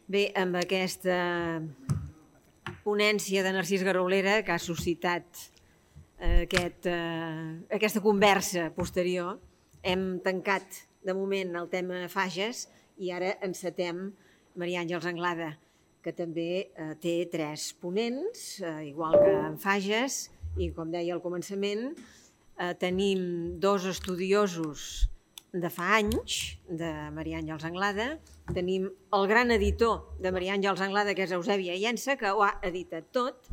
Bé, amb aquesta ponència de Narcís Garolera que ha suscitat aquesta conversa posterior, hem tancat de moment el tema Fages i ara encetem Maria Àngels Anglada, que també té 3 ponents, igual que en Fages, i com deia al començament, tenim 2 estudiosos de fa anys, de Maria Àngels Anglada, tenim el gran editor de Maria Àngels Anglada, que és Eusebi Aiensa, que ho ha editat tot,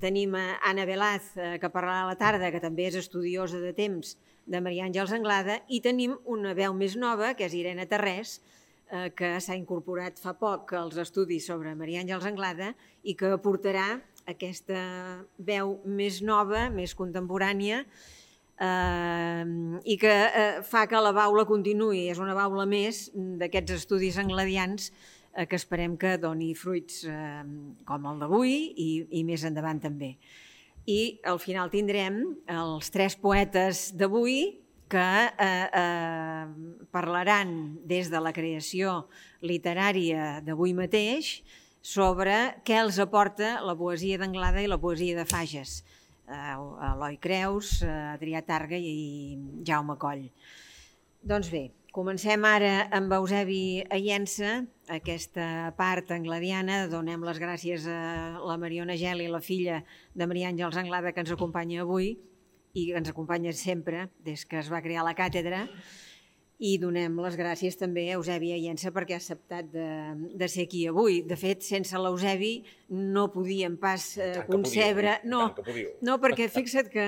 tenim Anna Velaz, que parlarà a la tarda, que també és estudiosa de temps de Maria Àngels Anglada, i tenim una veu més nova, que és Irene Tarrés, que s'ha incorporat fa poc als estudis sobre Maria Àngels Anglada i que aportarà aquesta veu més nova, més contemporània, i que fa que la baula continuï. És una baula més d'aquests estudis angladians que esperem que doni fruits com el d'avui i més endavant també. I al final tindrem els 3 poetes d'avui que parlaran des de la creació literària d'avui mateix sobre què els aporta la poesia d'Anglada i la poesia de Fages. Eloi Creus, Adrià Targa i Jaume Coll. Doncs bé, comencem ara amb Eusebi Aiensa, aquesta part angladiana. Donem les gràcies a la Mariona Geli, la filla de Maria Àngels Anglada, que ens acompanya avui i que ens acompanya sempre des que es va crear la càtedra. I donem les gràcies també a Eusebi Aiensa perquè ha acceptat de ser aquí avui. De fet, sense l'Eusebi no podíem pas concebre... No, perquè fixa't que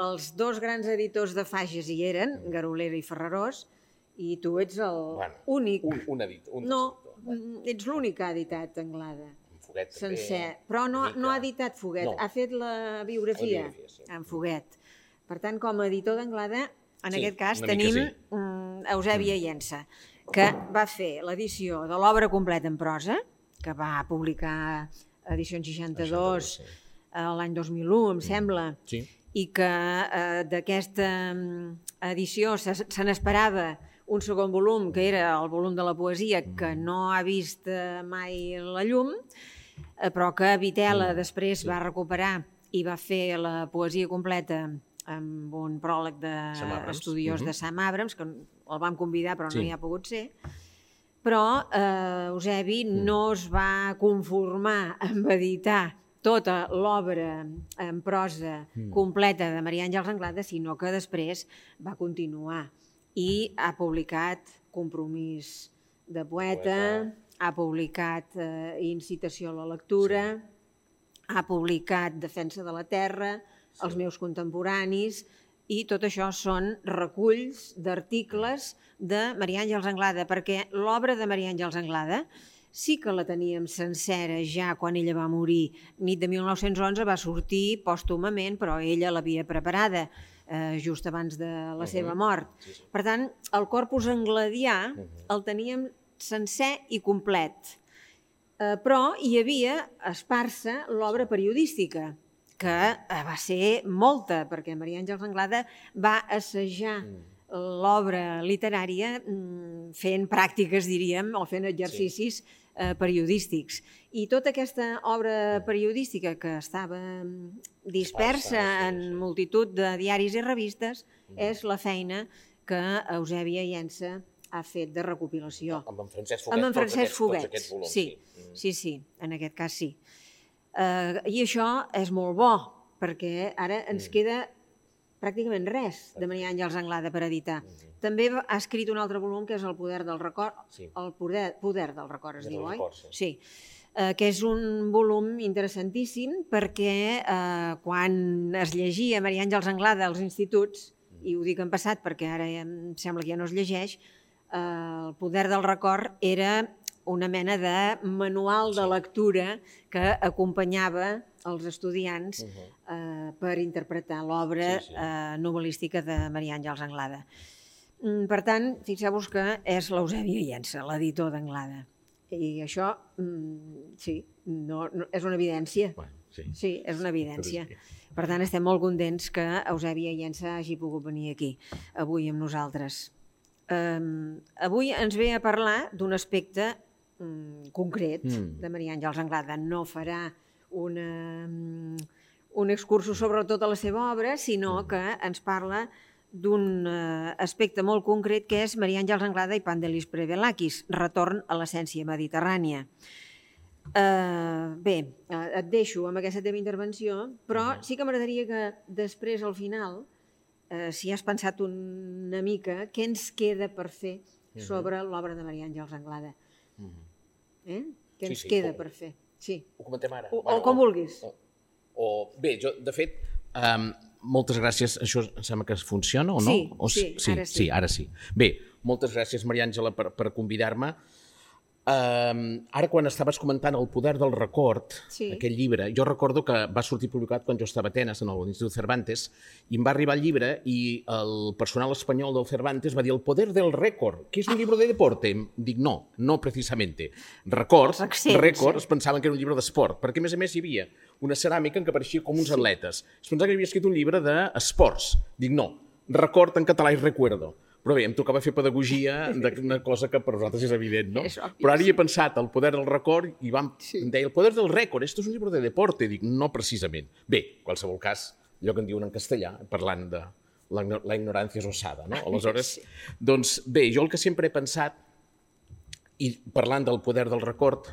els 2 grans editors de Fages hi eren, Garolera i Ferrarós, i tu ets l'únic... No, ets l'únic que ha editat Anglada. Sencer. Però no ha editat Foguet, ha fet la biografia en Foguet. Per tant, com a editor d'Anglada, en aquest cas tenim Eusebi Aiensa, que va fer l'edició de l'obra completa en prosa, que va publicar Edicions 62 l'any 2001, em sembla, i que d'aquesta edició se n'esperava un segon volum, que era el volum de la poesia, que no ha vist mai la llum, però que Vitela després va recuperar i va fer la poesia completa amb un pròleg d'estudiós de Sam Abrams, que el vam convidar però no hi ha pogut ser, però Eusebi no es va conformar amb editar tota l'obra en prosa completa de Maria Àngels Anglada, sinó que després va continuar i ha publicat Compromís de poeta, ha publicat Incitació a la lectura, ha publicat Defensa de la terra, Els meus contemporanis, i tot això són reculls d'articles de Maria Àngels Anglada, perquè l'obra de Maria Àngels Anglada sí que la teníem sencera ja quan ella va morir. Nit de 1911 va sortir pòstumament, però ella l'havia preparada just abans de la seva mort. Per tant, el corpus angladià el teníem sencer i complet, però hi havia esparsa l'obra periodística, que va ser molta, perquè Maria Àngels Anglada va assajar l'obra literària fent pràctiques, diríem, o fent exercicis periodístics. I tota aquesta obra periodística que estava dispersa en multitud de diaris i revistes és la feina que Eusebi Aiensa ha fet de recopilació. Amb en Francesc Foguet, tots aquests volums. Sí, en aquest cas sí. I això és molt bo, perquè ara ens queda pràcticament res de Maria Àngels Anglada per editar. També ha escrit un altre volum que és El poder del record, El poder del record es diu, oi? Sí, que és un volum interessantíssim perquè quan es llegia Maria Àngels Anglada als instituts, i ho dic en passat perquè ara em sembla que ja no es llegeix, El poder del record era una mena de manual de lectura que acompanyava els estudiants per interpretar l'obra novel·lística de Maria Àngels Anglada. Per tant, fixeu-vos que és l'Eusebi Aiensa, l'editor d'Anglada. I això, sí, és una evidència. Sí, és una evidència. Per tant, estem molt contents que Eusebi Aiensa hagi pogut venir aquí, avui amb nosaltres. Avui ens ve a parlar d'un aspecte concret de Maria Àngels Anglada. No farà un excursus sobre tota la seva obra, sinó que ens parla d'un aspecte molt concret que és Maria Àngels Anglada i Pandélis Prevelakis, retorn a l'essència mediterrània. Bé, et deixo amb aquesta teva intervenció, però sí que m'agradaria que després, al final, si has pensat una mica, què ens queda per fer sobre l'obra de Maria Àngels Anglada? Què ens queda per fer? Sí. Ho comentem ara. O com vulguis. Bé, jo, de fet, moltes gràcies. Això em sembla que funciona o no? Sí, ara sí. Sí, ara sí. Bé, moltes gràcies, Maria Àngela, per convidar-me. Ara, quan estaves comentant El poder del record, aquell llibre, jo recordo que va sortir publicat quan jo estava a Atenes, en l'Institut Cervantes, i em va arribar el llibre i el personal espanyol del Cervantes va dir El poder del récord, que és un llibre de deporte. Dic, no precisamente. Record, es pensaven que era un llibre d'esport, perquè a més hi havia una ceràmica en què apareixia com uns atletes. Es pensava que havia escrit un llibre d'esports. Dic, no, record en català és recuerdo. Però bé, em tocava fer pedagogia d'una cosa que per nosaltres és evident, no? Però ara hi he pensat, El poder del record, i em deia, El poder del récord, esto és un llibre de deporte. Dic, no precisament. Bé, en qualsevol cas, allò que en diuen en castellà, parlant de la ignorància és osada, no? Aleshores, doncs bé, jo el que sempre he pensat, i parlant del poder del record,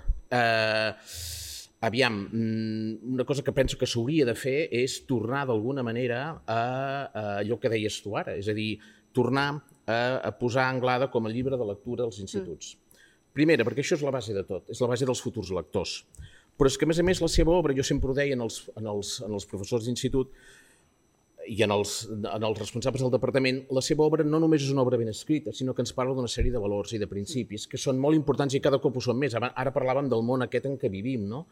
aviam, una cosa que penso que s'hauria de fer és tornar d'alguna manera a allò que deies tu ara, és a dir, tornar a posar Anglada com a llibre de lectura als instituts. Primera, perquè això és la base de tot, és la base dels futurs lectors. Però és que, a més, la seva obra, jo sempre ho deia en els professors d'institut i en els responsables del departament, la seva obra no només és una obra ben escrita, sinó que ens parla d'una sèrie de valors i de principis que són molt importants i cada cop ho són més. Ara parlàvem del món aquest en què vivim, no?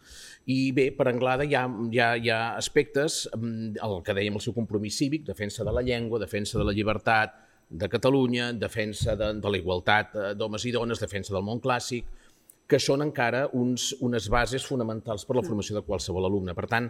I bé, per Anglada hi ha aspectes, el que dèiem, el seu compromís cívic, defensa de la llengua, defensa de la llibertat de Catalunya, defensa de la igualtat d'homes i dones, defensa del món clàssic, que són encara unes bases fonamentals per a la formació de qualsevol alumne. Per tant,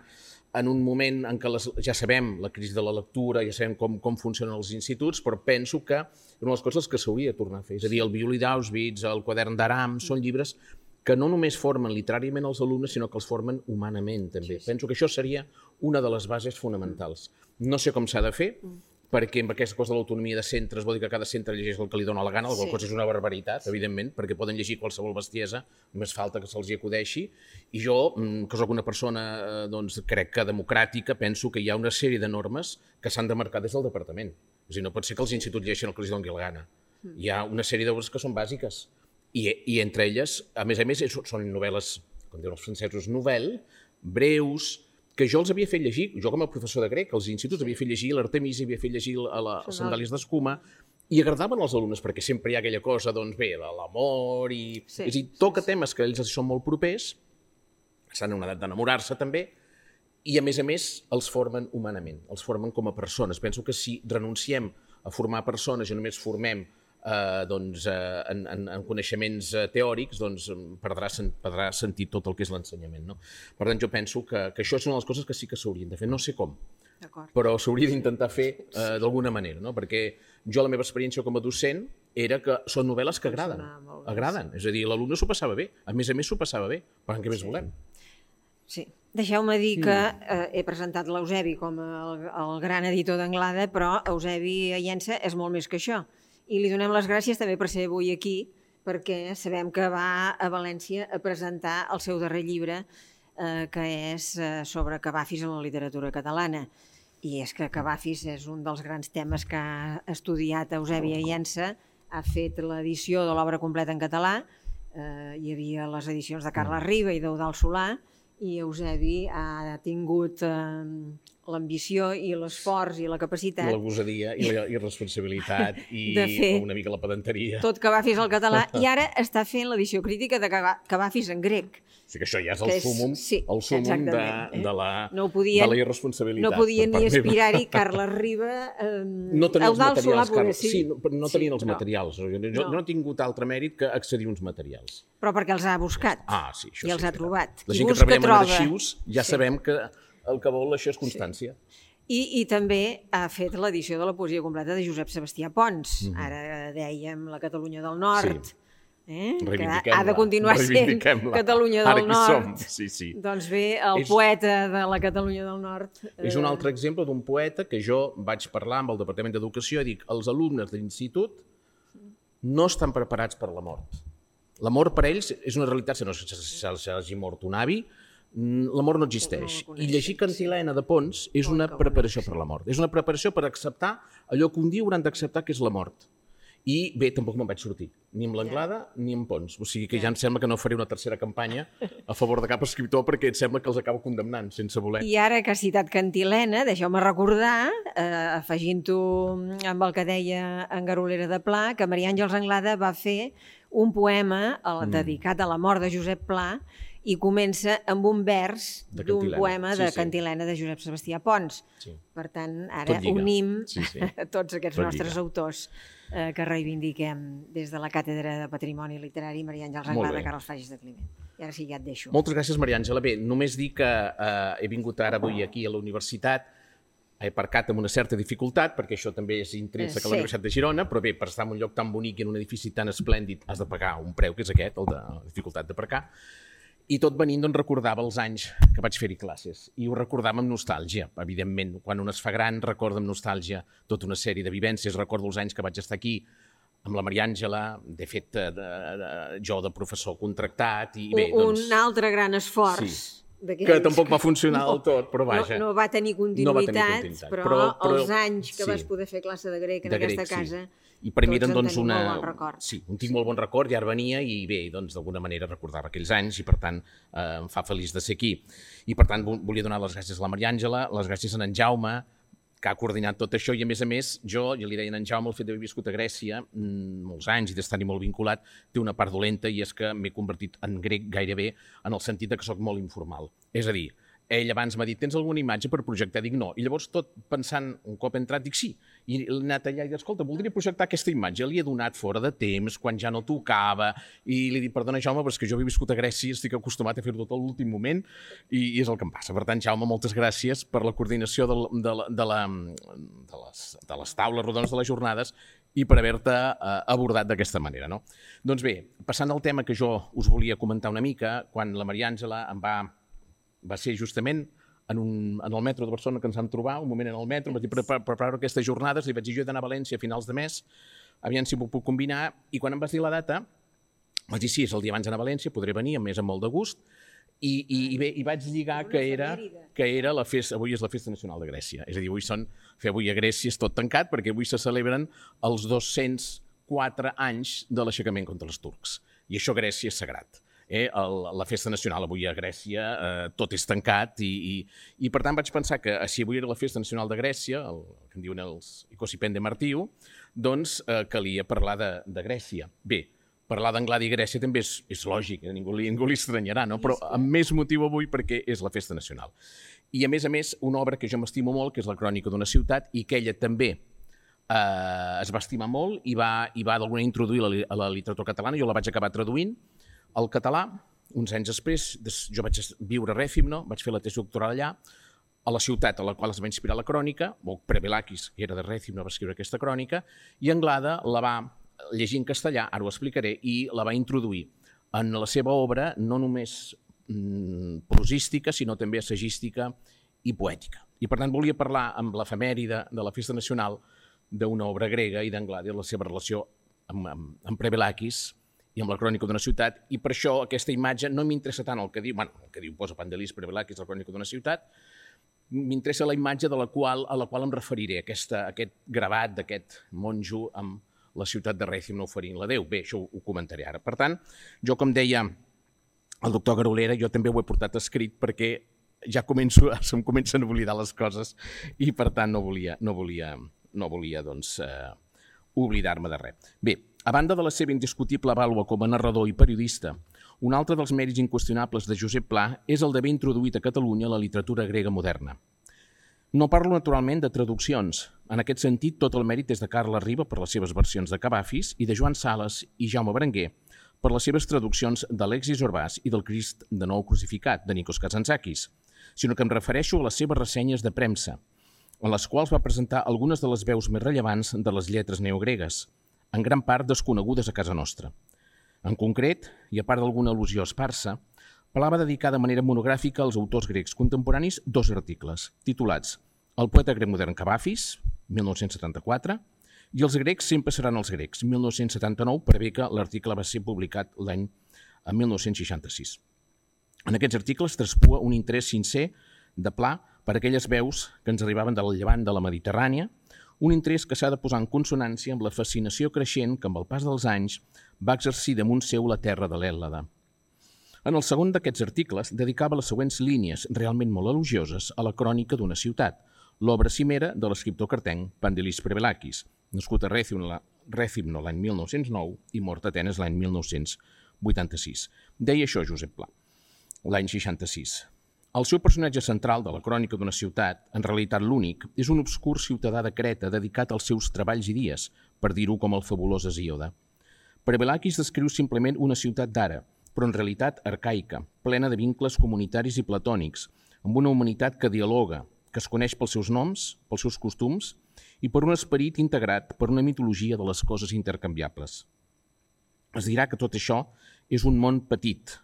en un moment en què ja sabem la crisi de la lectura, ja sabem com funcionen els instituts, però penso que és una de les coses que s'hauria de tornar a fer. És a dir, el Violí d'Auschwitz, el Quadern d'Aram, són llibres que no només formen literàriament els alumnes, sinó que els formen humanament, també. Penso que això seria una de les bases fonamentals. No sé com s'ha de fer, perquè amb aquesta cosa de l'autonomia de centres vol dir que cada centre llegeix el que li dona la gana, la qual cosa és una barbaritat, evidentment, perquè poden llegir qualsevol bestiesa, només falta que se'ls hi acudeixi, i jo, que soc una persona, crec que democràtica, penso que hi ha una sèrie de normes que s'han de marcar des del departament. És a dir, no pot ser que els instituts llegeixin el que els doni la gana. Hi ha una sèrie d'obres que són bàsiques, i entre elles, a més, són novel·les, com diuen els francesos, novel·les, breus, que jo els havia fet llegir, jo com a professor de grec, als instituts havia fet llegir l'Artemisi, havia fet llegir les Sandàlies d'Escuma, i agradaven als alumnes, perquè sempre hi ha aquella cosa, doncs bé, de l'amor, i és a dir, toca temes que ells són molt propers, estan en una edat d'enamorar-se també, i a més els formen humanament, els formen com a persones. Penso que si renunciem a formar persones i només formem en coneixements teòrics, doncs perdrà sentit tot el que és l'ensenyament, no? Per tant, jo penso que això és una de les coses que sí que s'haurien de fer, no sé com, però s'hauria d'intentar fer d'alguna manera, no? Perquè jo la meva experiència com a docent era que són novel·les que agraden, és a dir, l'alumne s'ho passava bé, a més s'ho passava bé, per tant, què més volem? Sí, deixeu-me dir que he presentat l'Eusebi com el gran editor d'Anglada, però Eusebi Llença és molt més que això. I li donem les gràcies també per ser avui aquí, perquè sabem que va a València a presentar el seu darrer llibre, que és sobre Cavafis en la literatura catalana. I és que Cavafis és un dels grans temes que ha estudiat Eusebi Llença, ha fet l'edició de l'obra completa en català, hi havia les edicions de Carles Riba i d'Eudald Solà, i Eusebi ha tingut l'ambició i l'esforç i la capacitat... La gosadia i la irresponsabilitat i una mica la pedanteria. Tot Cavafis al català, i ara està fent l'edició crítica de Cavafis en grec. O sigui que això ja és el súmum de la irresponsabilitat. No podien ni aspirar-hi Carles Riba, Eudald Solà poder sí. Sí, no tenien els materials. Jo no he tingut altre mèrit que accedir a uns materials. Però perquè els ha buscat i els ha trobat. La gent que treballem en arxius ja sabem que el que vol això és constància. I també ha fet l'edició de la poesia completa de Josep Sebastià Pons. Ara dèiem la Catalunya del Nord, que ha de continuar sent Catalunya del Nord. Sí. Doncs bé, el poeta de la Catalunya del Nord... És un altre exemple d'un poeta que jo vaig parlar amb el Departament d'Educació i dic, els alumnes de l'institut no estan preparats per la mort. La mort per ells és una realitat, si no s'hagi mort un avi, la mort no existeix. I llegir Cantilena de Pons és una preparació per la mort. És una preparació per acceptar allò que un dia hauran d'acceptar que és la mort. I bé, tampoc me'n vaig sortir, ni amb l'Anglada ni amb Pons. O sigui que ja em sembla que no faré una tercera campanya a favor de cap escriptor perquè em sembla que els acabo condemnant sense voler. I ara que has citat Cantilena, deixeu-me recordar, afegint-ho amb el que deia en Garolera de Pla, que Maria Àngels Anglada va fer un poema dedicat a la mort de Josep Pla i comença amb un vers d'un poema de Cantilena de Josep Sebastià Pons. Per tant, ara unim tots aquests nostres autors que reivindiquem des de la Càtedra de Patrimoni Literari Maria Àngels Anglada, Carles Fages de Climent. I ara sí, ja et deixo. Moltes gràcies, Maria Àngela. Bé, només dir que he vingut ara avui aquí a la universitat, he aparcat amb una certa dificultat, perquè això també és intrínsec a la Universitat de Girona, però bé, per estar en un lloc tan bonic i en un edifici tan esplèndid has de pagar un preu, que és aquest, el de la dificultat d'aparcar. I tot venint, doncs, recordava els anys que vaig fer-hi classes. I ho recordava amb nostàlgia, evidentment. Quan un es fa gran, recorda amb nostàlgia tota una sèrie de vivències. Recordo els anys que vaig estar aquí amb la Maria Àngela, de fet, jo de professor contractat. I bé, doncs, un altre gran esforç. Que tampoc va funcionar del tot, però vaja. No va tenir continuïtat, però els anys que vas poder fer classe de grec en aquesta casa... I per mi eren, doncs, molt bon record. Sí, tinc molt bon record, i ara venia i bé, doncs, d'alguna manera recordava aquells anys i, per tant, em fa feliç de ser aquí. I, per tant, volia donar les gràcies a la Maria Àngela, les gràcies a en Jaume, que ha coordinat tot això, i a més, jo ja li deia a en Jaume, el fet d'haver viscut a Grècia molts anys i d'estar-hi molt vinculat, té una part dolenta, i és que m'he convertit en grec gairebé en el sentit que sóc molt informal. És a dir, ell abans m'ha dit, tens alguna imatge per projectar? Dic, no. I llavors, tot pensant, un cop entrat, dic, sí. I he anat allà i dic, escolta, voldria projectar aquesta imatge. Li he donat fora de temps, quan ja no tocava, i li dic, perdona, Jaume, però és que jo he viscut a Grècia, estic acostumat a fer-ho tot a l'últim moment, i és el que em passa. Per tant, Jaume, moltes gràcies per la coordinació de les taules rodones de les jornades i per haver-te abordat d'aquesta manera, no? Doncs bé, passant al tema que jo us volia comentar una mica, quan la Maria Àngela em va ser justament en el metro de Barcelona que ens vam trobar, un moment en el metro, em vaig dir, preparar aquestes jornades, li vaig dir, jo he d'anar a València a finals de mes, aviam si m'ho puc combinar, i quan em vas dir la data, vaig dir, sí, és el dia abans d'anar a València, podré venir, a més amb molt de gust, i bé, i vaig lligar que era la festa, avui és la Festa Nacional de Grècia, és a dir, avui a Grècia és tot tancat, perquè avui se celebren els 204 anys de l'aixecament contra els turcs, i això a Grècia és sagrat. La festa nacional avui a Grècia, tot és tancat i per tant vaig pensar que si avui era la festa nacional de Grècia, el que en diuen els Icosipende Martiu, doncs calia parlar de Grècia. Bé, parlar d'Anglada i Grècia també és lògic, ningú li estranyarà, no? Però amb més motiu avui perquè és la festa nacional. I a més, una obra que jo m'estimo molt, que és la Crònica d'una ciutat, i que ella també es va estimar molt i va d'alguna manera introduir a la literatura catalana. Jo la vaig acabar traduint al català, uns anys després, jo vaig viure a Rèfimno, vaig fer la tesi doctoral allà, a la ciutat a la qual es va inspirar la crònica, Prevelakis, que era de Rèfimno, va escriure aquesta crònica, i Anglada la va llegir en castellà, ara ho explicaré, i la va introduir en la seva obra, no només prosística, sinó també assagística i poètica. I per tant volia parlar amb l'efemèride de la Festa Nacional d'una obra grega i d'Anglada i la seva relació amb Prevelakis, i amb la crònica d'una ciutat, i per això aquesta imatge no m'interessa tant el que diu, el que diu posa Pandelis Prevelakis, la crònica d'una ciutat, m'interessa la imatge a la qual em referiré, aquest gravat d'aquest monjo amb la ciutat de Rèfimno oferint la Déu. Bé, això ho comentaré ara. Per tant, jo, com deia el doctor Garolera, jo també ho he portat escrit perquè ja se'm comencen a oblidar les coses i, per tant, no volia doncs, oblidar-me de res. Bé, a banda de la seva indiscutible vàlua com a narrador i periodista, un altre dels mèrits inqüestionables de Josep Pla és el d'haver introduït a Catalunya la literatura grega moderna. No parlo naturalment de traduccions. En aquest sentit, tot el mèrit és de Carles Riba per les seves versions de Cavafis i de Joan Sales i Jaume Berenguer per les seves traduccions d'Alexis Orbàs i del Crist de nou crucificat, de Nikos Kazantzakis, sinó que em refereixo a les seves ressenyes de premsa, en les quals va presentar algunes de les veus més rellevants de les lletres neogregues, en gran part desconegudes a casa nostra. En concret, i a part d'alguna al·lusió esparsa, Pla va dedicar de manera monogràfica als autors grecs contemporanis 2 articles, titulats El poeta grec modern Cavafis, 1974, i Els grecs sempre seran els grecs, 1979, per bé que l'article va ser publicat l'any 1966. En aquests articles traspua un interès sincer de Pla per aquelles veus que ens arribaven del llevant de la Mediterrània, un interès que s'ha de posar en consonància amb la fascinació creixent que amb el pas dels anys va exercir damunt seu la terra de l'Hèllada. En el segon d'aquests articles dedicava les següents línies realment molt elogioses a la crònica d'una ciutat, l'obra cimera de l'escriptor cartenc Pandelis Prevelakis, nascut a Rèthymno l'any 1909 i mort a Atenes l'any 1986. Deia això Josep Pla, l'any 66. El seu personatge central de la crònica d'una ciutat, en realitat l'únic, és un obscur ciutadà de Creta dedicat als seus treballs i dies, per dir-ho com el fabulós Hesíode. Prevelakis descriu simplement una ciutat d'ara, però en realitat arcaica, plena de vincles comunitaris i platònics, amb una humanitat que dialoga, que es coneix pels seus noms, pels seus costums i per un esperit integrat per una mitologia de les coses intercanviables. Es dirà que tot això és un món petit,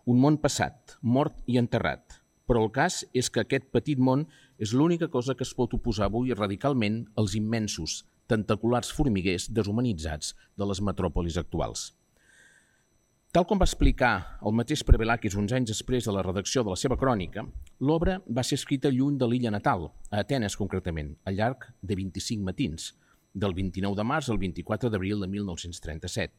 un món passat, mort i enterrat, però el cas és que aquest petit món és l'única cosa que es pot oposar avui radicalment als immensos, tentaculars formiguers deshumanitzats de les metròpolis actuals. Tal com va explicar el mateix Prevelakis uns anys després de la redacció de la seva crònica, l'obra va ser escrita lluny de l'illa natal, a Atenes concretament, al llarg de 25 matins, del 29 de març al 24 d'abril de 1937.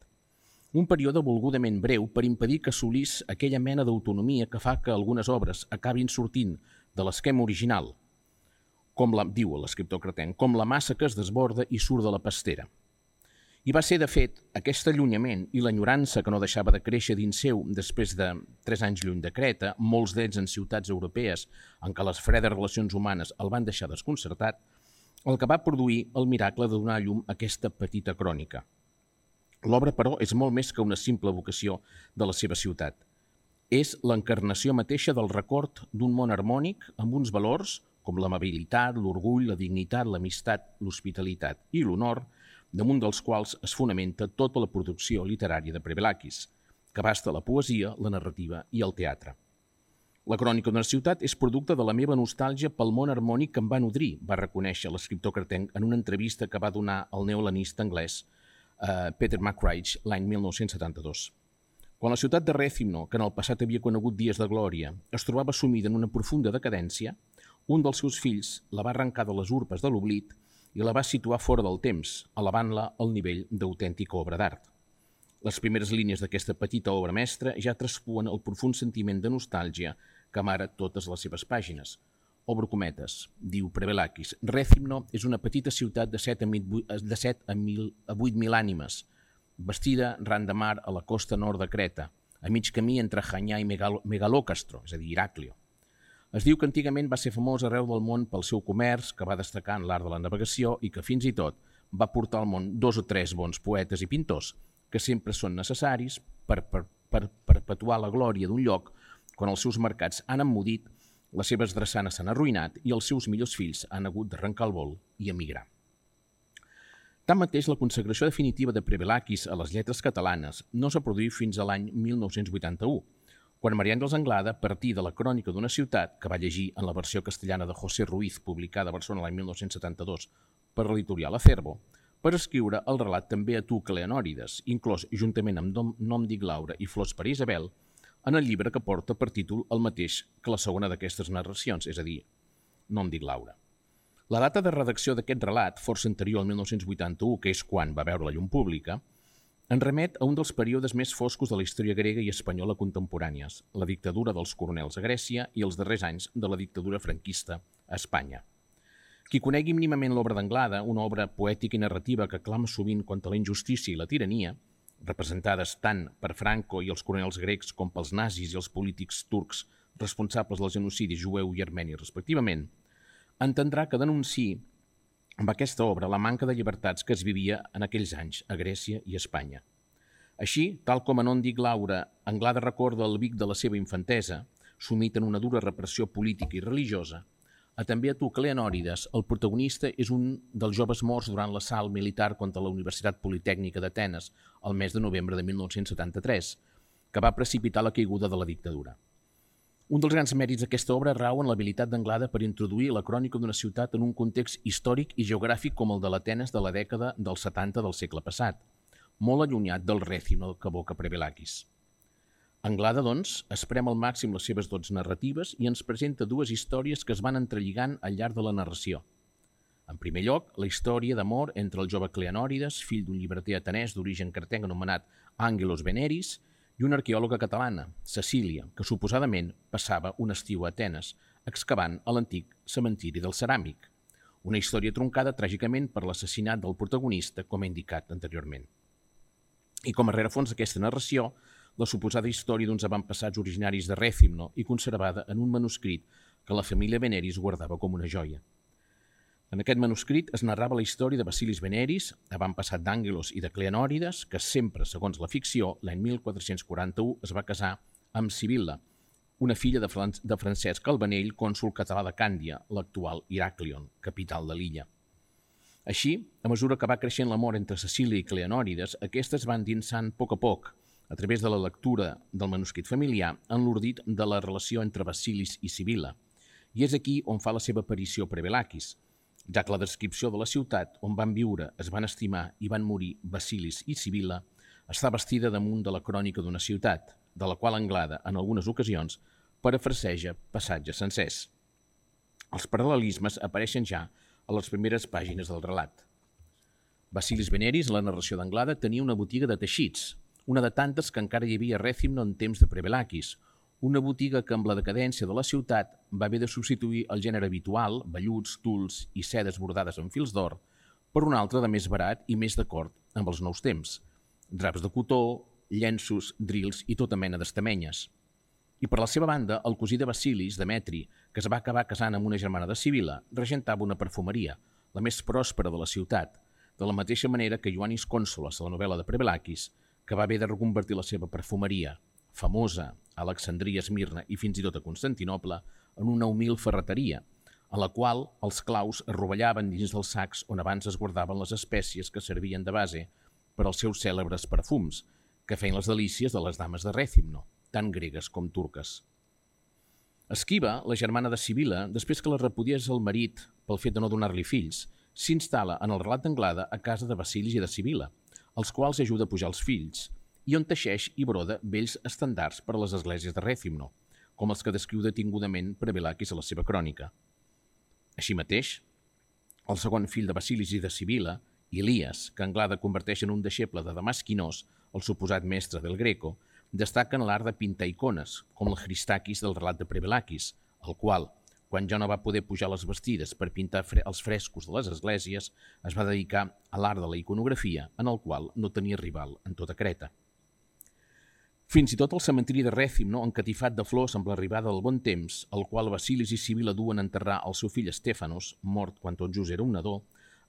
Un període volgudament breu per impedir que assolís aquella mena d'autonomia que fa que algunes obres acabin sortint de l'esquema original, com diu l'escriptor cretenc, com la massa que es desborda i surt de la pastera. I va ser, de fet, aquest allunyament i l'enyorança que no deixava de créixer dins seu després de 3 anys lluny de Creta, molts d'ells en ciutats europees en què les fredes relacions humanes el van deixar desconcertat, el que va produir el miracle de donar a llum a aquesta petita crònica. L'obra, però, és molt més que una simple vocació de la seva ciutat. És l'encarnació mateixa del record d'un món harmònic amb uns valors com l'amabilitat, l'orgull, la dignitat, l'amistat, l'hospitalitat i l'honor, damunt dels quals es fonamenta tota la producció literària de Prevelakis, que abasta la poesia, la narrativa i el teatre. La crònica d'una ciutat és producte de la meva nostàlgia pel món harmònic que em va nodrir, va reconèixer l'escriptor cretenc en una entrevista que va donar al neohelenista anglès Peter McCreidh l'any 1972. Quan la ciutat de Rèthymno, que en el passat havia conegut dies de glòria, es trobava sumida en una profunda decadència, un dels seus fills la va arrencar de les urpes de l'oblit i la va situar fora del temps, elevant-la al nivell d'autèntica obra d'art. Les primeres línies d'aquesta petita obra mestra ja traspuen el profund sentiment de nostàlgia que amara totes les seves pàgines. Obro cometes, diu Prevelakis, Rèthymno és una petita ciutat de 7 a 8.000 ànimes, bastida ran de mar a la costa nord de Creta, a mig camí entre Hanyà i Megalòcastro, és a dir, Heràclio. Es diu que antigament va ser famós arreu del món pel seu comerç, que va destacar en l'art de la navegació i que fins i tot va portar al món 2 o 3 bons poetes i pintors, que sempre són necessaris per perpetuar la glòria d'un lloc quan els seus mercats han emmudit, les seves drassanes s'han arruïnat i els seus millors fills han hagut d'arrencar el vol i emigrar. Tanmateix, la consagració definitiva de Prevelakis a les lletres catalanes no s'ha produït fins a l'any 1981, quan María Ángeles Anglada partí de la crònica d'una ciutat, que va llegir en la versió castellana de José Ruiz, publicada a Barcelona l'any 1972 per l'editorial Acervo, per escriure el relat també a tu Cleanòrides, inclòs juntament amb Nom dic Laura i Flors per Isabel, en el llibre que porta per títol el mateix que la segona d'aquestes narracions, és a dir, Nom dic Laura. La data de redacció d'aquest relat, força anterior al 1981, que és quan va veure la llum pública, en remet a un dels períodes més foscos de la història grega i espanyola contemporànies, la dictadura dels coronels a Grècia i els darrers anys de la dictadura franquista a Espanya. Qui conegui mínimament l'obra d'Anglada, una obra poètica i narrativa que clama sovint contra la injustícia i la tirania, representades tant per Franco i els coronels grecs com pels nazis i els polítics turcs responsables del genocidi jueu i armeni respectivament, entendrà que denunciï amb aquesta obra la manca de llibertats que es vivia en aquells anys a Grècia i Espanya. Així, tal com a Nom dic Laura, Anglada recorda el Vic de la seva infantesa, sumit en una dura repressió política i religiosa, També a tu, Cleanòrides, el protagonista és un dels joves morts durant l'assalt militar contra la Universitat Politècnica d'Atenes el mes de novembre de 1973, que va precipitar la caiguda de la dictadura. Un dels grans mèrits d'aquesta obra rau en l'habilitat d'Anglada per introduir la crònica d'una ciutat en un context històric i geogràfic com el de l'Atenes de la dècada dels 70 del segle passat, molt allunyat del rèthim que evoca Prevélakis. Anglada, doncs, esprem al màxim les seves dots narratives i ens presenta dues històries que es van entrelligant al llarg de la narració. En primer lloc, la història d'amor entre el jove Cleanòrides, fill d'un llibreter atenès d'origen cretenc anomenat Angelos Veneris, i una arqueòloga catalana, Cecília, que suposadament passava un estiu a Atenes, excavant a l'antic cementiri del Ceràmic. Una història troncada tràgicament per l'assassinat del protagonista, com he indicat anteriorment. I com a rerefons d'aquesta narració, la suposada història d'uns avantpassats originaris de Rèthymno i conservada en un manuscrit que la família Veneris guardava com una joia. En aquest manuscrit es narrava la història de Basilis Veneris, avantpassat d'Àngelos i de Cleanòrides, que sempre, segons la ficció, l'any 1441 es va casar amb Sibilla, una filla de Francesc Calvanell, cònsol català de Càndia, l'actual Heraclion, capital de l'illa. Així, a mesura que va creixent l'amor entre Cecília i Cleanòrides, aquestes van dinsant a poc, a través de la lectura del manuscrit familiar, en l'ordit de la relació entre Basilis i Sibilla. I és aquí on fa la seva aparició Prevélakis, ja que la descripció de la ciutat on van viure, es van estimar i van morir Basilis i Sibilla està bastida damunt de la crònica d'una ciutat, de la qual Anglada, en algunes ocasions, parafraseja passatges sencers. Els paral·lelismes apareixen ja a les primeres pàgines del relat. Basilis Veneris, en la narració d'Anglada, tenia una botiga de teixits, una de tantes que encara hi havia a Rèthymno en temps de Prevélakis, una botiga que amb la decadència de la ciutat va haver de substituir el gènere habitual, velluts, tuls i sedes bordades amb fils d'or, per un altre de més barat i més d'acord amb els nous temps, draps de cotó, llenços, drils i tota mena d'estamenyes. I per la seva banda, el cosí de Basilis, Demetri, que es va acabar casant amb una germana de Sibilla, regentava una perfumeria, la més pròspera de la ciutat, de la mateixa manera que Ioannis Consolas, a la novel·la de Prevélakis, que va haver de reconvertir la seva perfumeria, famosa a Alexandria, Esmirna i fins i tot a Constantinoble, en una humil ferreteria, a la qual els claus es rovellaven dins dels sacs on abans es guardaven les espècies que servien de base per als seus cèlebres perfums, que feien les delícies de les dames de Rèthymno, tant gregues com turques. Esquiva, la germana de Sibilla, després que la repudiés el marit pel fet de no donar-li fills, s'instal·la en el relat d'Anglada a casa de Basilis i de Sibilla, els quals ajuda a pujar els fills, i on teixeix i broda vells estandards per a les esglésies de Rèthymno, com els que descriu detingudament Prevélakis a la seva crònica. Així mateix, el segon fill de Basilis i de Sibilla, Elias, que Anglada converteix en un deixeble de Damas Quinós, el suposat mestre del Greco, destaca en l'art de pintar icones, com el Christakis del relat de Prevélakis, el qual, quan ja no va poder pujar les bastides per pintar els frescos de les esglésies, es va dedicar a l'art de la iconografia, en el qual no tenia rival en tota Creta. Fins i tot el cementiri de Rèthymno, encatifat de flors amb l'arribada del bon temps, al qual Basilis i Sibilla duen a enterrar el seu fill Stéphanos, mort quan tot just era un nadó,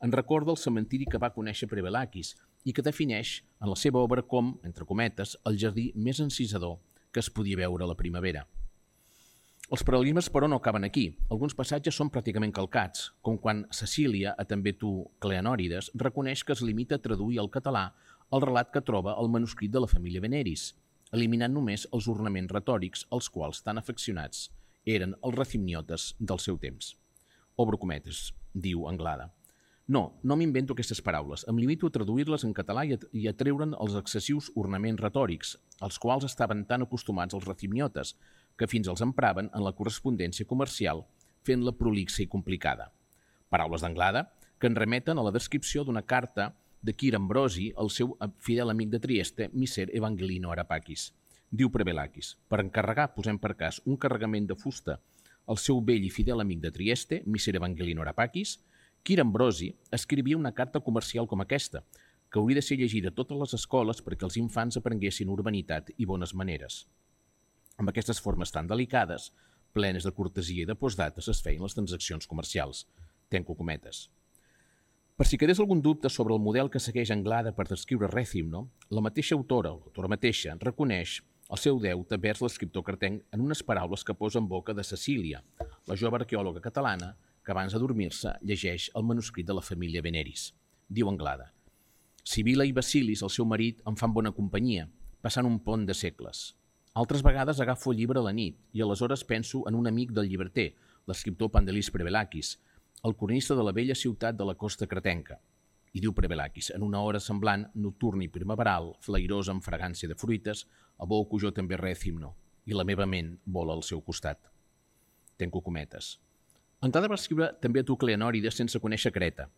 en recorda el cementiri que va conèixer Prevélakis i que defineix en la seva obra com, entre cometes, el jardí més encisador que es podia veure a la primavera. Els paral·lelismes, però, no acaben aquí. Alguns passatges són pràcticament calcats, com quan Cecília, a també tu, Cleanòrides, reconeix que es limita a traduir al català el relat que troba al manuscrit de la família Veneris, eliminant només els ornaments retòrics als quals tan afeccionats eren els rethymniotes del seu temps. Obro cometes, diu Anglada. No m'invento aquestes paraules, em limito a traduir-les en català i a treure'n els excessius ornaments retòrics, als quals estaven tan acostumats els rethymniotes, que fins els empraven en la correspondència comercial, fent-la prolixa i complicada. Paraules d'Anglada que en remeten a la descripció d'una carta de Quir Ambrosi, el seu fidel amic de Trieste, Miser Evangelino Arapakis. Diu Prevélakis, per encarregar, posem per cas, un carregament de fusta al seu vell i fidel amic de Trieste, Miser Evangelino Arapakis, Quir Ambrosi escrivia una carta comercial com aquesta, que hauria de ser llegida a totes les escoles perquè els infants aprenguessin urbanitat i bones maneres. Amb aquestes formes tan delicades, plenes de cortesia i de postdates, es feien les transaccions comercials. Tanco cometes. Per si quedés algun dubte sobre el model que segueix Anglada per descriure Rèthymno, la mateixa autora, l'autora mateixa, reconeix el seu deute vers l'escriptor cretenc en unes paraules que posa en boca de Cecília, la jove arqueòloga catalana que abans de dormir-se llegeix el manuscrit de la família Veneris. Diu Anglada: Sibila i Basilis, el seu marit, em fan bona companyia, passant un pont de segles. Altres vegades agafo el llibre a la nit i aleshores penso en un amic del llibreter, l'escriptor Pandelis Prevelakis, el cronista de la vella ciutat de la costa cretenca. I diu Prevelakis, en una hora semblant, nocturna i primaveral, flairosa amb fragància de fruites, aboco jo també Rècimno, i la meva ment vola al seu costat. Tenco cometes. Anglada va escriure també a Tucleanòrides sense conèixer Creta,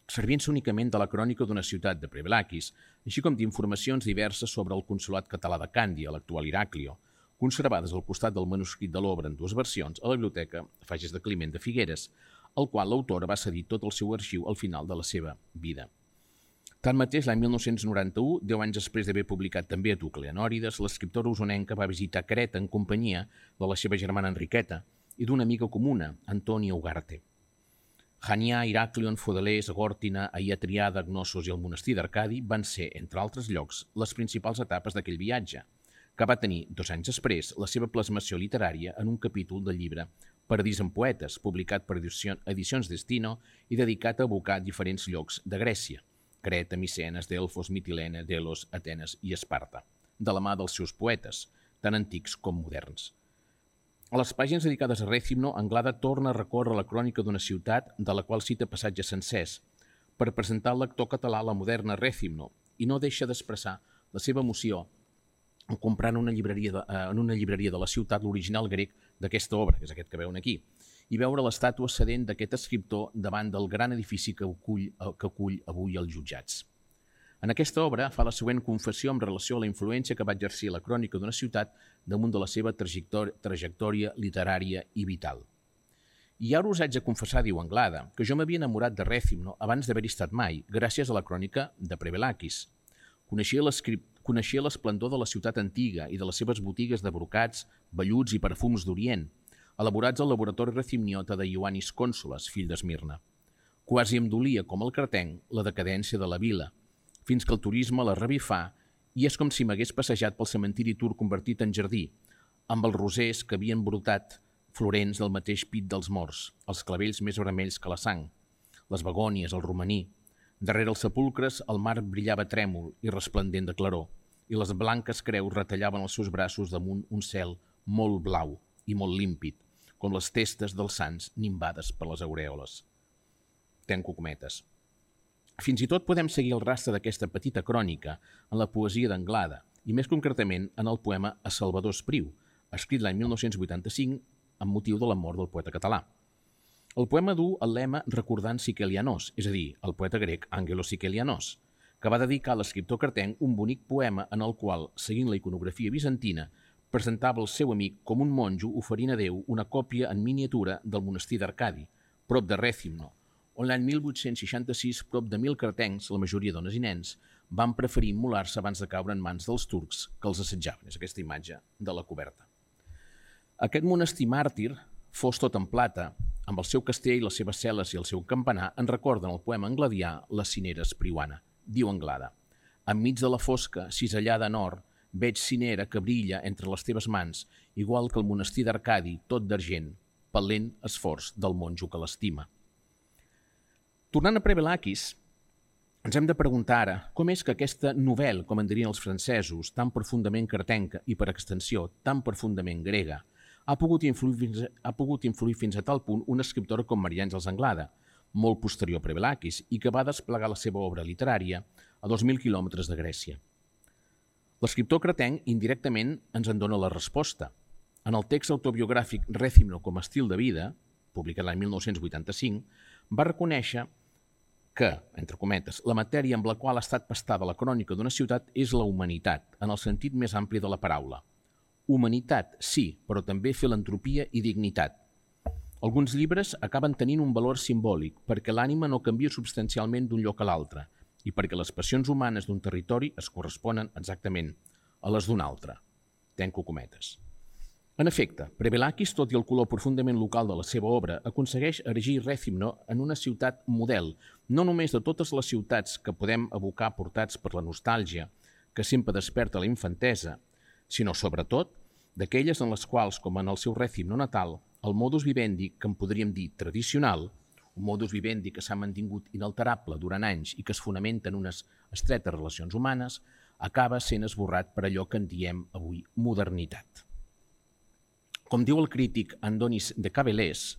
servint-se únicament de la crònica d'una ciutat de Prevelakis, així com d'informacions diverses sobre el consolat català de Càndia, l'actual Heràclio, conservades al costat del manuscrit de l'obra en dues versions a la biblioteca Fages de Climent de Figueres, al qual l'autora va cedir tot el seu arxiu al final de la seva vida. Tanmateix, l'any 1991, 10 anys després d'haver publicat també a Tucleanòrides, l'escriptora usonenca va visitar Creta en companyia de la seva germana Enriqueta i d'una amiga comuna, Antònia Ugarte. Janià, Heràclion, Fodelers, Agòrtina, Aia Triada, Gnossos i el monestir d'Arcadi van ser, entre altres llocs, les principals etapes d'aquell viatge, que va tenir, 2 anys després, la seva plasmació literària en un capítol del llibre Paradís en poetes, publicat per Edicions Destino i dedicat a evocar diferents llocs de Grècia, Creta, Micenes, Delfos, Mitilene, Delos, Atenes i Esparta, de la mà dels seus poetes, tant antics com moderns. A les pàgines dedicades a Rècimno, Anglada torna a recórrer la crònica d'una ciutat de la qual cita passatges sencers per presentar al lector català la moderna Rècimno i no deixa d'expressar la seva emoció en comprar en una llibreria de la ciutat l'original grec d'aquesta obra, que és aquest que veuen aquí, i veure l'estàtua sedent d'aquest escriptor davant del gran edifici que acull avui els jutjats. En aquesta obra fa la següent confessió en relació a la influència que va exercir la crònica d'una ciutat damunt de la seva trajectòria literària i vital. I ara us haig de confessar, diu Anglada, que jo m'havia enamorat de Rècimno abans d'haver-hi estat mai, gràcies a la crònica de Prevelakis. Coneixia l'esplendor de la ciutat antiga i de les seves botigues de brocats, velluts i perfums d'Orient, elaborats al laboratori recimniota de Ioannis Cònsoles, fill d'Esmirna. Quasi em dolia, com el cretenc, la decadència de la vila, fins que el turisme la revifà i és com si m'hagués passejat pel cementiri turc convertit en jardí, amb els rosers que havien brotat florents del mateix pit dels morts, els clavells més vermells que la sang, les begònies, el romaní. Darrere els sepulcres el mar brillava trèmol i resplendent de claror, i les blanques creus retallaven els seus braços damunt un cel molt blau i molt límpid, com les testes dels sants nimbades per les aureoles. Tenco cometes. Fins i tot podem seguir el rastre d'aquesta petita crònica en la poesia d'Anglada, i més concretament en el poema A Salvador Espriu, escrit l'any 1985 amb motiu de la mort del poeta català. El poema du el lema Recordant Sikelianos, és a dir, el poeta grec Angelos Sikelianos, que va dedicar a l'escriptor cretenc un bonic poema en el qual, seguint la iconografia bizantina, presentava el seu amic com un monjo oferint a Déu una còpia en miniatura del monestir d'Arcadi, prop de Rècimno, on l'any 1866 prop de 1.000 cretencs, la majoria dones i nens, van preferir immolar-se abans de caure en mans dels turcs que els assetjaven. És aquesta imatge de la coberta. Aquest monestir màrtir, fos tot en plata, amb el seu castell, les seves cel·les i el seu campanar, en recorden el poema angladià La cinera espriuana. Diu Anglada: enmig de la fosca, cisellada en or, veig cinera que brilla entre les teves mans, igual que el monestir d'Arcadi, tot d'argent, pel lent esforç del monjo que l'estima. Tornant a Prevelakis, ens hem de preguntar ara com és que aquesta novel·la, com en dirien els francesos, tan profundament cretenca i, per extensió, tan profundament grega, ha pogut influir fins a tal punt una escriptora com Maria Àngels Anglada, molt posterior a Prevelakis, i que va desplegar la seva obra literària a 2.000 quilòmetres de Grècia. L'escriptor cretenc indirectament ens en dona la resposta. En el text autobiogràfic Rècimno com a estil de vida, publicat l'any 1985, va reconèixer que, entre cometes, la matèria amb la qual ha estat pastada la crònica d'una ciutat és la humanitat, en el sentit més ampli de la paraula. Humanitat, sí, però també filantropia i dignitat. Alguns llibres acaben tenint un valor simbòlic perquè l'ànima no canvia substancialment d'un lloc a l'altre i perquè les passions humanes d'un territori es corresponen exactament a les d'un altre. Tenco cometes. En efecte, Prevelakis, tot i el color profundament local de la seva obra, aconsegueix erigir Rècimno en una ciutat model, no només de totes les ciutats que podem evocar portats per la nostàlgia que sempre desperta la infantesa, sinó, sobretot, d'aquelles en les quals, com en el seu Rècimno natal, el modus vivendi, que en podríem dir tradicional, un modus vivendi que s'ha mantingut inalterable durant anys i que es fonamenta en unes estretes relacions humanes, acaba sent esborrat per allò que en diem avui modernitat. Com diu el crític Andonis de Cabelés,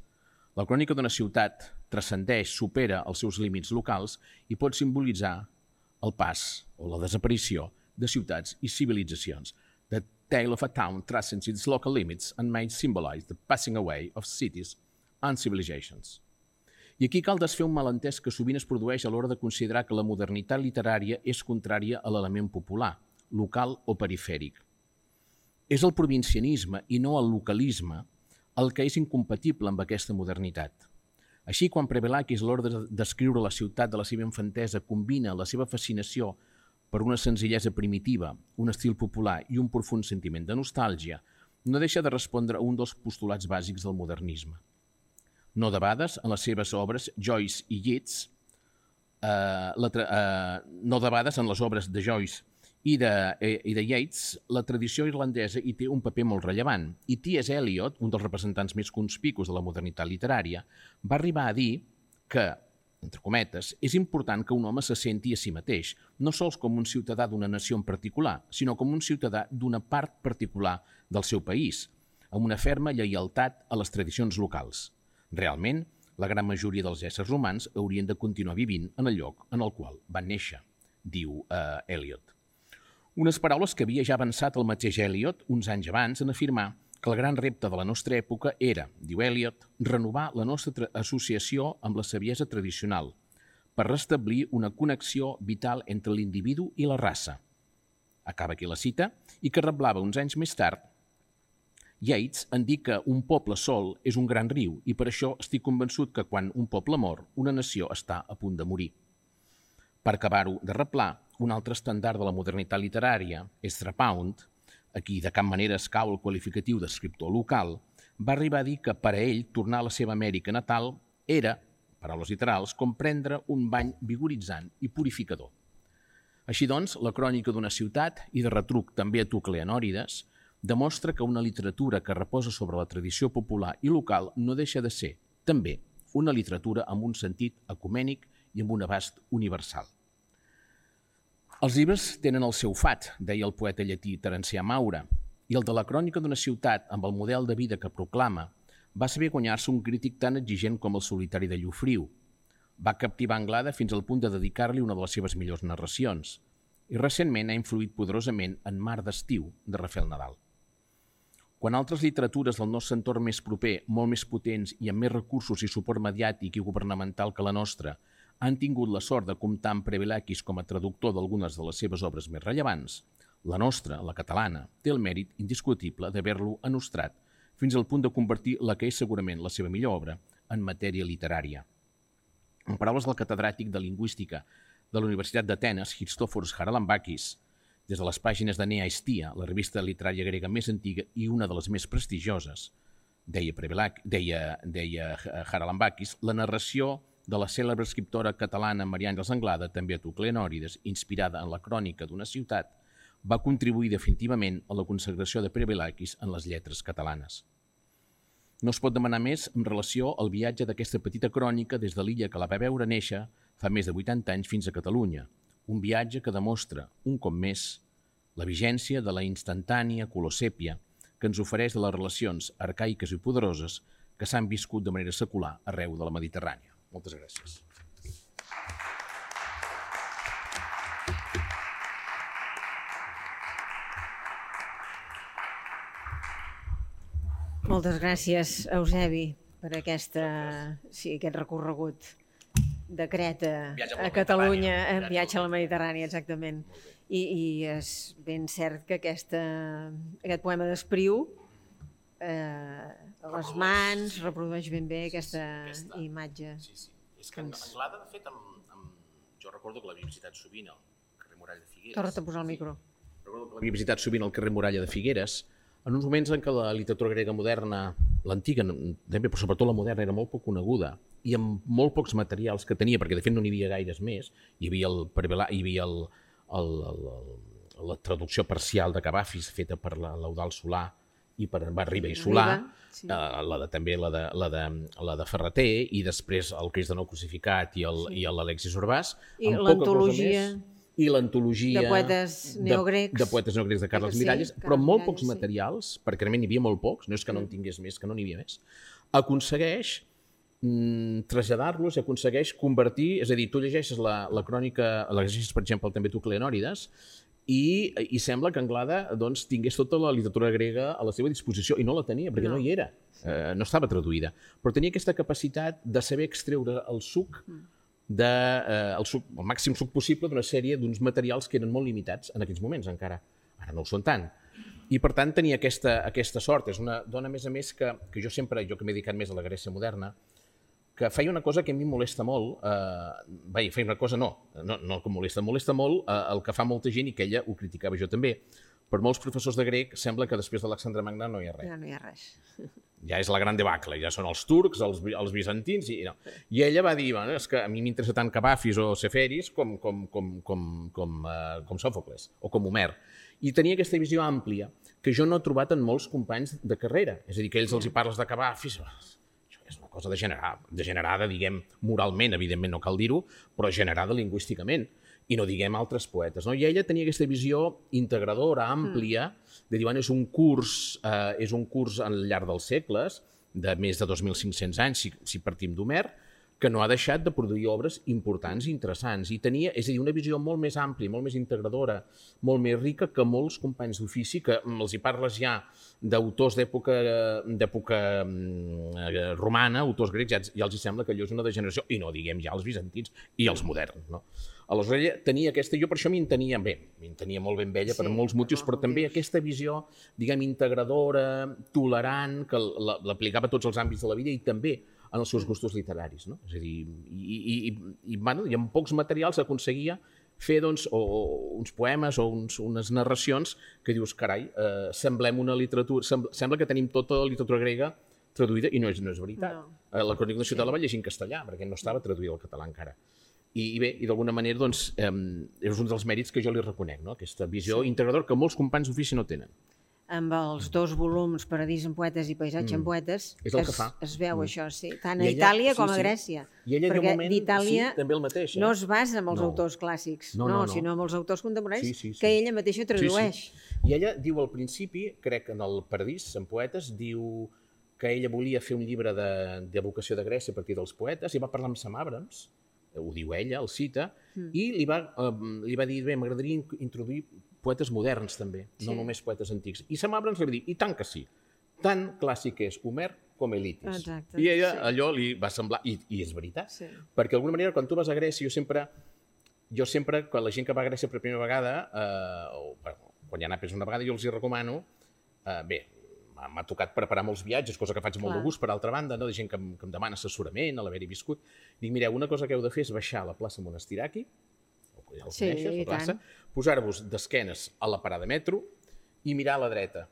la crònica d'una ciutat transcendeix, supera els seus límits locals i pot simbolitzar el pas o la desaparició de ciutats i civilitzacions. The tale of a town transcends its local limits and may symbolize the passing away of cities and civilizations. I aquí cal desfer un malentès que sovint es produeix a l'hora de considerar que la modernitat literària és contrària a l'element popular, local o perifèric. És el provincianisme i no el localisme el que és incompatible amb aquesta modernitat. Així, quan Prevelakis, a l'hora de descriure la ciutat de la seva infantesa, combina la seva fascinació per una senzillesa primitiva, un estil popular i un profund sentiment de nostàlgia, no deixa de respondre a un dels postulats bàsics del modernisme. No debades, en les seves obres, Joyce i Yeats, no debades en les obres de Joyce i de Yeats, la tradició irlandesa hi té un paper molt rellevant. I T.S. Eliot, un dels representants més conspicus de la modernitat literària, va arribar a dir que, entre cometes, és important que un home se senti a si mateix, no sols com un ciutadà d'una nació en particular, sinó com un ciutadà d'una part particular del seu país, amb una ferma lleialtat a les tradicions locals. Realment, la gran majoria dels éssers humans haurien de continuar vivint en el lloc en el qual van néixer, diu Eliot. Unes paraules que havia ja avançat el mateix Eliot uns anys abans en afirmar que el gran repte de la nostra època era, diu Eliot, renovar la nostra associació amb la saviesa tradicional per restablir una connexió vital entre l'individu i la raça. Acaba aquí la cita, i que reblava uns anys més tard Yeats en dir que un poble sol és un gran riu i per això estic convençut que quan un poble mor, una nació està a punt de morir. Per acabar-ho de reblar, un altre estàndard de la modernitat literària, Ezra Pound, a qui de cap manera es cau el qualificatiu d'escriptor local, va arribar a dir que per a ell tornar a la seva Amèrica natal era, paraules literals, com prendre un bany vigoritzant i purificador. Així doncs, la crònica d'una ciutat, i de retruc també a tu, Cleanòrides, demostra que una literatura que reposa sobre la tradició popular i local no deixa de ser, també, una literatura amb un sentit ecumènic i amb un abast universal. Els llibres tenen el seu fat, deia el poeta llatí Terencià Maura, i el de la crònica d'una ciutat amb el model de vida que proclama va saber guanyar-se un crític tan exigent com el solitari de Llofriu. Va captivar Anglada fins al punt de dedicar-li una de les seves millors narracions i recentment ha influït poderosament en Mar d'estiu, de Rafael Nadal. Quan altres literatures del nostre entorn més proper, molt més potents i amb més recursos i suport mediàtic i governamental que la nostra, han tingut la sort de comptar amb Prevelakis com a traductor d'algunes de les seves obres més rellevants, la nostra, la catalana, té el mèrit indiscutible d'haver-lo enostrat fins al punt de convertir la que és segurament la seva millor obra en matèria literària. En paraules del catedràtic de Lingüística de la Universitat d'Atenes, Christoforos Haralambakis, des de les pàgines de Nea Aestia, la revista literària grega més antiga i una de les més prestigioses, deia Haralambakis, la narració de la cèlebre escriptora catalana Maria Àngels Anglada, també a tu, Cleanòrides, inspirada en la crònica d'una ciutat, va contribuir definitivament a la consagració de Prevelakis en les lletres catalanes. No es pot demanar més en relació al viatge d'aquesta petita crònica des de l'illa que la va veure néixer fa més de 80 anys fins a Catalunya, un viatge que demostra, un cop més, la vigència de la instantània colosèpia que ens ofereix de les relacions arcaiques i poderoses que s'han viscut de manera secular arreu de la Mediterrània. Moltes gràcies. Moltes gràcies, Eusebi, per aquest recorregut de Creta a Catalunya, viatge a la Mediterrània, exactament. I és ben cert que aquest poema d'Espriu a les mans reprodueix ben bé aquesta imatge. Sí. És que Anglada, de fet, jo recordo que l'havia visitat sovint al carrer Muralla de Figueres. Torna't a posar el micro. Recordo que l'havia visitat sovint al carrer Muralla de Figueres, en uns moments en què la literatura grega moderna, l'antiga, però sobretot la moderna, era molt poc coneguda i amb molt pocs materials que tenia, perquè de fet no n'hi havia gaires més. Hi havia la traducció parcial de Cavafis feta per l'Eudald Solà i va Riba i Solà, també la de Ferreter, i després el Crist de Nou Crucificat i l'Alexis Urbàs. I l'antologia de poetes neogrecs de Carles Miralles, però molt pocs materials, perquè realment n'hi havia molt pocs, no és que no en tingués més, que no n'hi havia més, aconsegueix traslladar-los i aconsegueix convertir, és a dir, tu llegeixes la crònica, llegeixes, per exemple, també tu Cleonòrides, i sembla que Anglada tingués tota la literatura grega a la seva disposició, i no la tenia, perquè no hi era, no estava traduïda, però tenia aquesta capacitat de saber extreure el suc, el màxim suc possible d'una sèrie d'uns materials que eren molt limitats en aquells moments encara, ara no ho són tant. I per tant tenia aquesta sort. És una dona, a més, que jo que m'he dedicat més a la Grècia moderna, que feia una cosa que a mi em molesta molt, feia una cosa no que molesta molt el que fa molta gent, i que ella ho criticava, jo també. Per molts professors de grec sembla que després d'Alexandre Magne no hi ha res. Ja no hi ha res. Ja és la gran debacle, ja són els turcs, els bizantins, i ella va dir, és que a mi m'interessa tant Cavafis o Seferis com Sòfocles o com Homer. I tenia aquesta visió àmplia que jo no he trobat en molts companys de carrera. És a dir, que ells els hi parles de Cavafis, això és una cosa degenerada, diguem, moralment, evidentment no cal dir-ho, però generada lingüísticament. I no diguem altres poetes. I ella tenia aquesta visió integradora, àmplia, de dir, és un curs al llarg dels segles, de més de 2.500 anys, si partim d'Homer, que no ha deixat de produir obres importants i interessants. I tenia, és a dir, una visió molt més àmplia, molt més integradora, molt més rica que molts companys d'ofici, que els hi parles ja d'autors d'època romana, autors grecs, ja els hi sembla que allò és una degeneració, i no diguem ja els bizantins i els moderns. Aleshores ella tenia aquesta, jo per això m'entenia molt ben ella per molts motius, però també aquesta visió, diguem, integradora, tolerant, que l'aplicava a tots els àmbits de la vida i també en els seus gustos literaris. És a dir, i amb pocs materials aconseguia fer uns poemes o unes narracions que dius, carai, semblem una literatura, sembla que tenim tota la literatura grega traduïda, i no és veritat. La Crònica d'una ciutat la va llegir en castellà, perquè no estava traduïda al català encara. I bé, d'alguna manera, és un dels mèrits que jo li reconec, aquesta visió integradora que molts companys d'ofici no tenen. Amb els 2 volums, Paradís en poetes i Paisatge en poetes, es veu això, sí, tant a Itàlia com a Grècia. I ella, de moment, també el mateix. No es basa en els autors clàssics, sinó en els autors contemporanis que ella mateixa tradueix. I ella diu al principi, crec que en el Paradís en poetes, diu que ella volia fer un llibre d'evocació de Grècia a partir dels poetes, i va parlar amb Sam Abrams, ho diu ella, el cita, i li va dir, bé, m'agradaria introduir poetes moderns també, no només poetes antics. I Sam Abrams li va dir, i tant que sí, tan clàssic és Homer com Elitis. I ella allò li va semblar, i és veritat, perquè d'alguna manera quan tu vas a Grècia, jo sempre, quan la gent que va a Grècia per primera vegada, o quan hi ha anat una vegada, jo els hi recomano, bé, m'ha tocat preparar molts viatges, cosa que faig molt de gust, per altra banda, de gent que em demana assessorament, a l'haver-hi viscut. Dic, mireu, una cosa que heu de fer és baixar a la plaça Monastiraki, ja el coneixes, la plaça, posar-vos d'esquenes a la parada de metro i mirar a la dreta.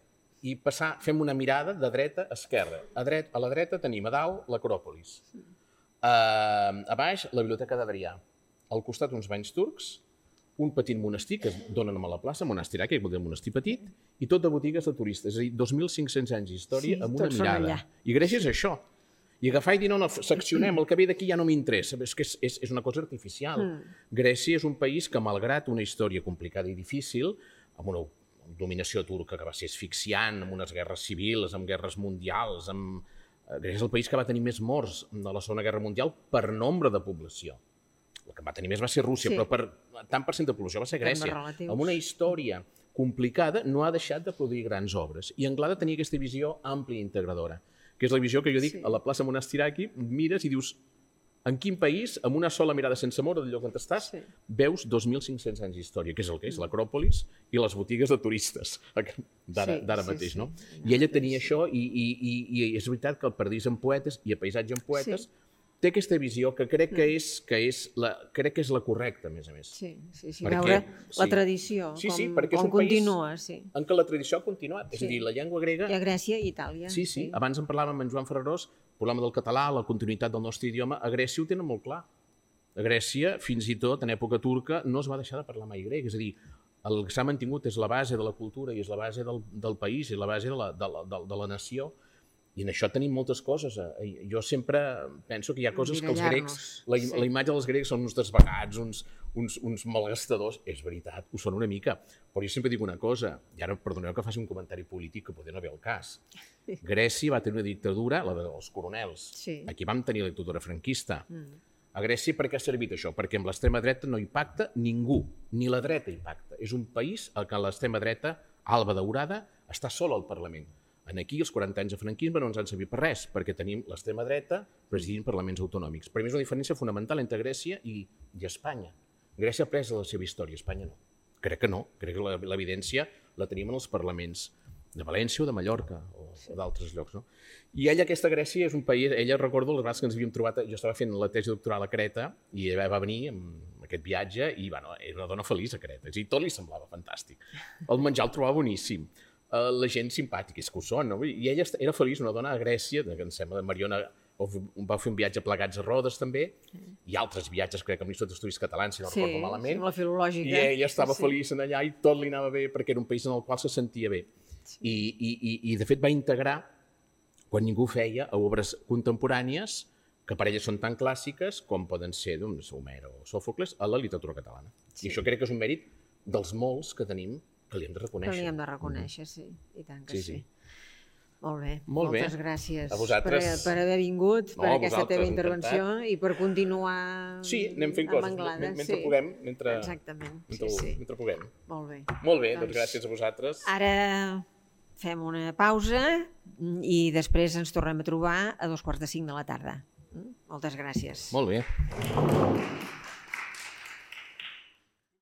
I fem una mirada de dreta a esquerra. A la dreta tenim a dalt l'Acròpolis. A baix, la Biblioteca d'Adrià. Al costat uns banys turcs, un petit monestir que donen a la plaça, Monastiraki, que vol dir monestir petit, i tot de botigues de turistes. És a dir, 2.500 anys d'història amb una mirada. I Grècia és això. I agafar i dir, no, seccionem, el que ve d'aquí ja no m'interessa. És que és una cosa artificial. Grècia és un país que, malgrat una història complicada i difícil, amb una dominació turca que va ser asfixiant, amb unes guerres civils, amb guerres mundials, Grècia és el país que va tenir més morts de la Segona Guerra Mundial per nombre de població. El que va tenir més va ser Rússia, però tant per cent de població va ser Grècia. Amb una història complicada no ha deixat de produir grans obres. I Anglada tenia aquesta visió àmplia i integradora, que és la visió que jo dic a la plaça Monastiraki, mires i dius, en quin país, amb una sola mirada sense moure del lloc on estàs, veus 2.500 anys d'història, que és el que és l'Acròpolis i les botigues de turistes d'ara mateix, no? I ella tenia això, i és veritat que el Paradís en poetes i el Paisatge en poetes té aquesta visió que crec que és la correcta, a més a més. Sí, veure la tradició, com continua. En què la tradició ha continuat, és a dir, la llengua grega... I a Grècia i Itàlia. Sí, abans en parlàvem amb en Joan Ferrarós, parlàvem del català, la continuïtat del nostre idioma, a Grècia ho tenen molt clar. A Grècia, fins i tot en època turca, no es va deixar de parlar mai grec, és a dir, el que s'ha mantingut és la base de la cultura i és la base del país i la base de la nació. I en això tenim moltes coses. Jo sempre penso que hi ha coses que els grecs, la imatge dels grecs són uns desvagats, uns malgastadors. És veritat, ho són una mica. Però jo sempre dic una cosa, i ara perdoneu que faci un comentari polític que poder no ve al cas. Grècia va tenir una dictadura, la dels coronels. Aquí vam tenir la dictadura franquista. A Grècia per què ha servit això? Perquè amb l'extrema dreta no hi pacta ningú, ni la dreta hi pacta. És un país en què l'extrema dreta, alba daurada, està sola al Parlament. Aquí els 40 anys de franquisme no ens han servit per res, perquè tenim l'extrema dreta presidint parlaments autonòmics. Per mi és una diferència fonamental entre Grècia i Espanya. Grècia ha pres la seva història, Espanya no. Crec que no, crec que l'evidència la tenim en els parlaments de València o de Mallorca o d'altres llocs. I ella, aquesta Grècia, és un país, ella recordo les vegades que ens havíem trobat, jo estava fent la tesi doctoral a Creta i ella va venir amb aquest viatge i era una dona feliç a Creta, és a dir, tot li semblava fantàstic. El menjar el trobava boníssim. La gent simpàtica, és que ho són, no? I ella era feliç, una dona a Grècia, que em sembla, Mariona va fer un viatge plegats a Rodes també, i altres viatges, crec que amb l'Institut d'Estudis Catalans, si no recordo malament. Sí, la filològica. I ella estava feliç en allà i tot li anava bé perquè era un país en el qual se sentia bé. I de fet va integrar, quan ningú feia, a obres contemporànies que per elles són tan clàssiques com poden ser Homer o Sòfocles a la literatura catalana. I això crec que és un mèrit dels molts que tenim que li hem de reconèixer. Que li hem de reconèixer, sí. I tant que sí. Molt bé. Moltes gràcies per haver vingut, per aquesta teva intervenció i per continuar amb Anglada. Sí, anem fent coses mentre puguem. Exactament. Mentre puguem. Molt bé. Molt bé, doncs gràcies a vosaltres. Ara fem una pausa i després ens tornem a trobar a 2:45 de la tarda. Moltes gràcies. Molt bé.